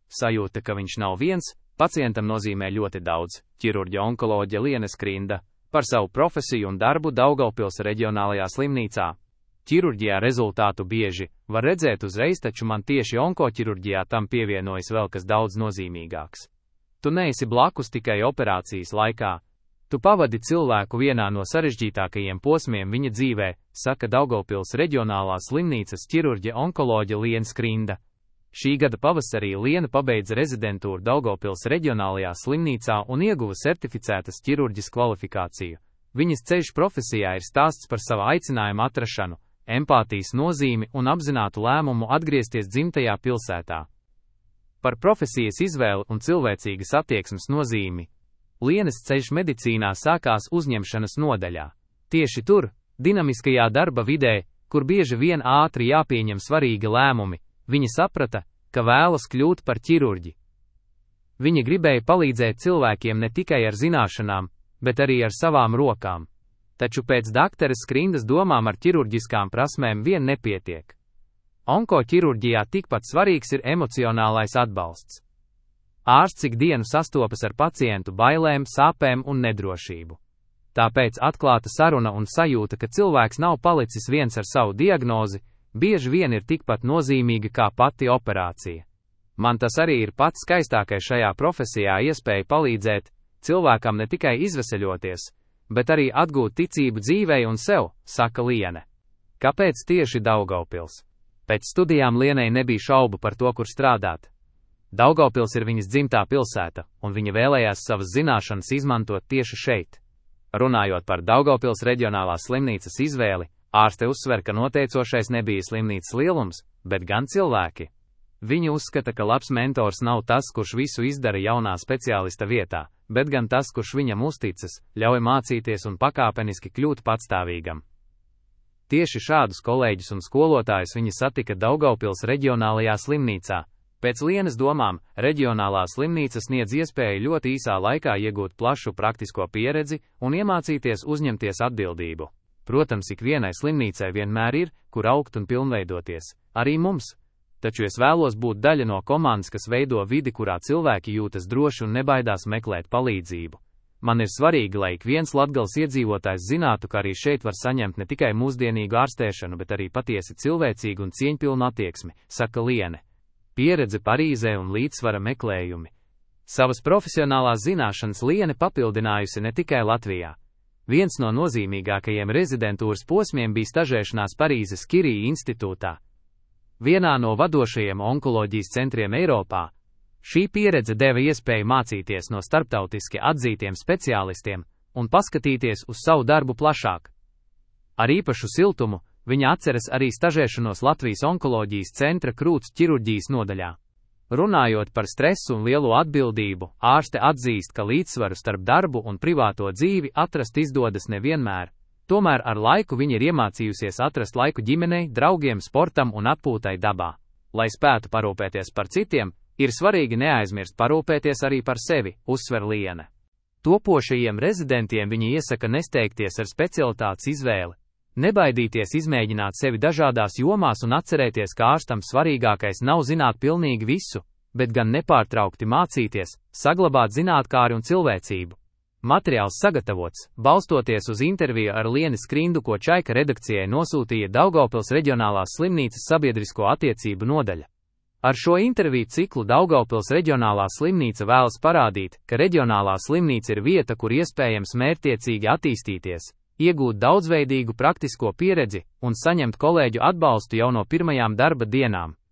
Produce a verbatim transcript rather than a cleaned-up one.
sajūta, ka viņš nav viens, pacientam nozīmē ļoti daudz. Ķirurģa onkoloģe Liene Skrinda par savu profesiju un darbu Daugavpils reģionālajā slimnīcā. Ķirurģijā rezultātu bieži var redzēt uzreiz, taču man tieši onkoķirurģijā tam pievienojas vēl kas daudz nozīmīgāks. Tu neesi blakus tikai operācijas laikā. Tu pavadi cilvēku vienā no sarežģītākajiem posmiem viņa dzīvē, saka Daugavpils reģionālās slimnīcas ķirurģe onkoloģe Liene Skrinda. Šī gada pavasarī Liene pabeidza rezidentūru Daugavpils reģionālajā slimnīcā un ieguva certificētas ķirurģes kvalifikāciju. Viņas ceļš profesijā ir stāsts par savu aicinājumu atrašanu, empātijas nozīmi un apzinātu lēmumu atgriezties dzimtajā pilsētā. Par profesijas izvēli un cilvēcīgas attieksmes nozīmi. Lienes ceļš medicīnā sākās uzņemšanas nodaļā. Tieši tur, dinamiskajā darba vidē, kur bieži vien ātri jāpieņem svarīgi lēmumi, viņa saprata, ka vēlas kļūt par ķirurģi. Viņa gribēja palīdzēt cilvēkiem ne tikai ar zināšanām, bet arī ar savām rokām. Taču pēc dakteres Skrindas domām ar ķirurģiskām prasmēm vien nepietiek. Onkoķirurģijā tikpat svarīgs ir emocionālais atbalsts. Ārsts ikdienu sastopas ar pacientu bailēm, sāpēm un nedrošību. Tāpēc atklāta saruna un sajūta, ka cilvēks nav palicis viens ar savu diagnozi, bieži vien ir tikpat nozīmīga kā pati operācija. Man tas arī ir pats skaistākais šajā profesijā iespēja palīdzēt cilvēkam ne tikai izveseļoties, bet arī atgūt ticību dzīvei un sev, saka Liene. Kāpēc tieši Daugavpils? Pēc studijām Lienei nebija šaubu par to, kur strādāt. Daugavpils ir viņas dzimtā pilsēta, un viņa vēlējās savas zināšanas izmantot tieši šeit. Runājot par Daugavpils reģionālās slimnīcas izvēli, ārste uzsver, ka noteicošais nebija slimnīcas lielums, bet gan cilvēki. Viņa uzskata, ka labs mentors nav tas, kurš visu izdara jaunā speciālista vietā, bet gan tas, kurš viņam uzticas, ļauj mācīties un pakāpeniski kļūt patstāvīgam. Tieši šādus kolēģus un skolotājus viņa satika Daugavpils reģionālajā slimnīcā. Pēc Lienes domām, reģionālā slimnīca sniedz iespēju ļoti īsā laikā iegūt plašu praktisko pieredzi un iemācīties uzņemties atbildību. Protams, ikvienai slimnīcai vienmēr ir, kur augt un pilnveidoties, arī mums. Taču es vēlos būt daļa no komandas, kas veido vidi, kurā cilvēki jūtas droši un nebaidās meklēt palīdzību. Man ir svarīgi, lai ik viens Latgales iedzīvotājs zinātu, ka arī šeit var saņemt ne tikai mūsdienīgu ārstēšanu, bet arī patiesi cilvēcīgu un cieņpilnu attieksmi, saka Liene. Pieredze Parīzē un līdzsvara meklējumi. Savas profesionālās zināšanas Liene papildinājusi ne tikai Latvijā. Viens no nozīmīgākajiem rezidentūras posmiem bija stažēšanās Parīzes Kirija institūtā. Vienā no vadošajiem onkoloģijas centriem Eiropā. Šī pieredze deva iespēju mācīties no starptautiski atzītiem speciālistiem un paskatīties uz savu darbu plašāk. Ar īpašu siltumu viņa atceras arī stažēšanos Latvijas onkoloģijas centra krūts ķirurģijas nodaļā. Runājot par stresu un lielo atbildību, ārste atzīst, ka līdzsvaru starp darbu un privāto dzīvi atrast izdodas nevienmēr. Tomēr ar laiku viņa ir iemācījusies atrast laiku ģimenei, draugiem, sportam un atpūtai dabā. Lai spētu parūpēties par citiem, ir svarīgi neaizmirst parūpēties arī par sevi, uzsver Liene. Topošajiem rezidentiem viņa iesaka nesteigties ar specialitātes izvēli. Nebaidīties izmēģināt sevi dažādās jomās un atcerēties, ka ārstam svarīgākais nav zināt pilnīgi visu, bet gan nepārtraukti mācīties, saglabāt zinātkāri un cilvēcību. Materiāls sagatavots, balstoties uz interviju ar Lieni Skrindu, ko Čaika redakcijai nosūtīja Daugavpils reģionālās slimnīcas sabiedrisko attiecību nodaļa. Ar šo interviju ciklu Daugavpils reģionālā slimnīca vēlas parādīt, ka reģionālā slimnīca ir vieta, kur iespējams mērķtiecīgi attīstīties, iegūt daudzveidīgu praktisko pieredzi un saņemt kolēģu atbalstu jau no pirmajām darba dienām.